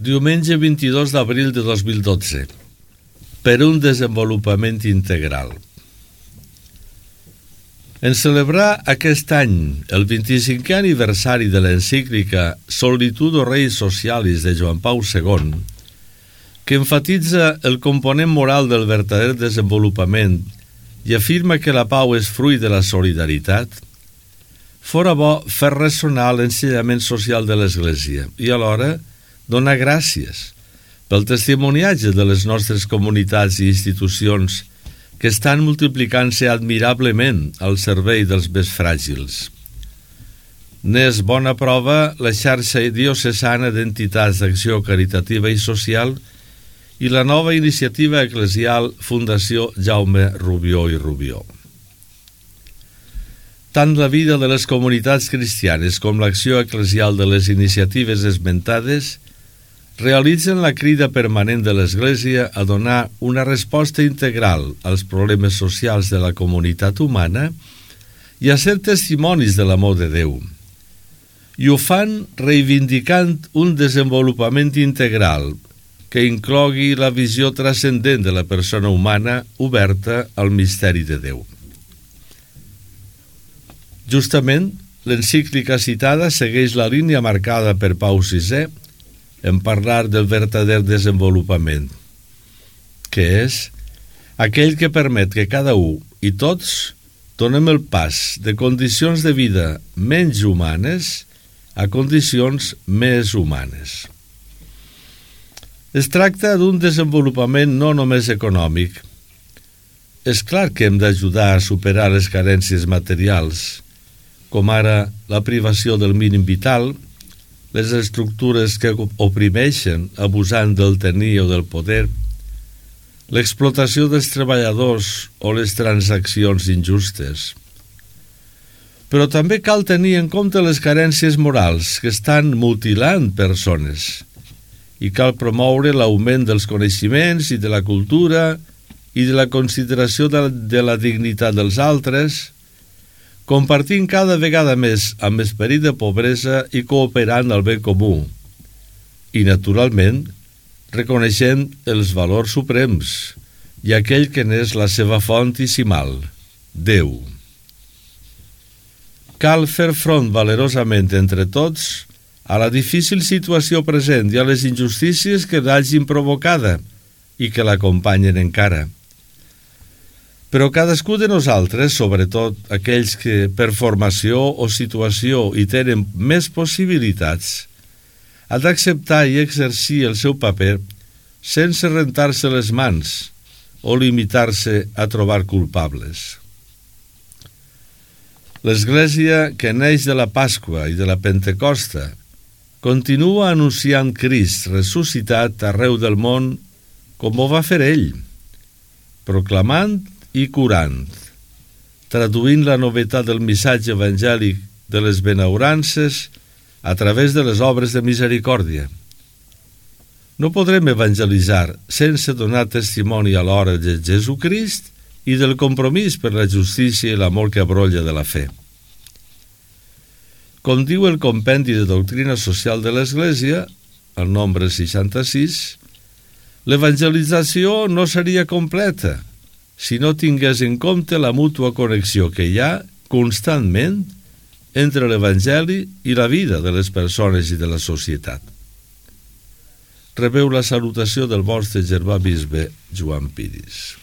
Diumenge 22 d'abril de 2012. Per un desenvolupament integral. En celebrar aquest any el 25è aniversari de l'encíclica Solitudo Rei Socialis de Joan Pau II, que enfatitza el component moral del verdader desenvolupament i afirma que la pau és fruit de la solidaritat, fora bo fer ressonar l'ensenyament social de l'Església i alhora donar gràcies pel testimoniatge de les nostres comunitats i institucions que estan multiplicant-se admirablement al servei dels més fràgils. N'és bona prova la xarxa diocesana d'entitats d'acció caritativa i social i la nova iniciativa eclesial Fundació Jaume Rubió i Rubió. Tant la vida de les comunitats cristianes com l'acció eclesial de les iniciatives esmentades realitzen la crida permanent de l'Església a donar una resposta integral als problemes socials de la comunitat humana i a ser testimonis de l'amor de Déu. I ho fan reivindicant un desenvolupament integral que inclogui la visió transcendent de la persona humana oberta al misteri de Déu. Justament, l'encíclica citada segueix la línia marcada per Pau VI en parlar del verdader desenvolupament, que és aquell que permet que cada un i tots donem el pas de condicions de vida menys humanes a condicions més humanes. Es tracta d'un desenvolupament no només econòmic. És clar que hem d'ajudar a superar les carències materials, com ara la privació del mínim vital, les estructures que oprimeixen abusant del tenir o del poder, l'explotació dels treballadors o les transaccions injustes. Però també cal tenir en compte les carències morals que estan mutilant persones i cal promoure l'augment dels coneixements i de la cultura i de la consideració de la dignitat dels altres, compartint cada vegada més amb esperit de pobresa i cooperant al bé comú, i, naturalment, reconeixent els valors suprems i aquell que n'és la seva font isimal, Déu. Cal fer front valerosament entre tots a la difícil situació present i a les injustícies que l'hagin provocada i que l'acompanyen encara. Però cadascú de nosaltres, sobretot aquells que per formació o situació hi tenen més possibilitats, ha d'acceptar i exercir el seu paper sense rentar-se les mans o limitar-se a trobar culpables. L'Església, que neix de la Pasqua i de la Pentecosta, continua anunciant Crist ressuscitat arreu del món com ho va fer ell, proclamant i curant, traduint la novetat del missatge evangèlic de les benaurances a través de les obres de misericòrdia. No podrem evangelitzar sense donar testimoni a l'hora de Jesucrist i del compromís per la justícia i l'amor que brolla de la fe. Com diu el Compendi de Doctrina Social de l'Església, el nombre 66, l'evangelització no seria completa si no tingués en compte la mútua connexió que hi ha constantment entre l'Evangeli i la vida de les persones i de la societat. Rebeu la salutació del vostre germà bisbe Joan Piris.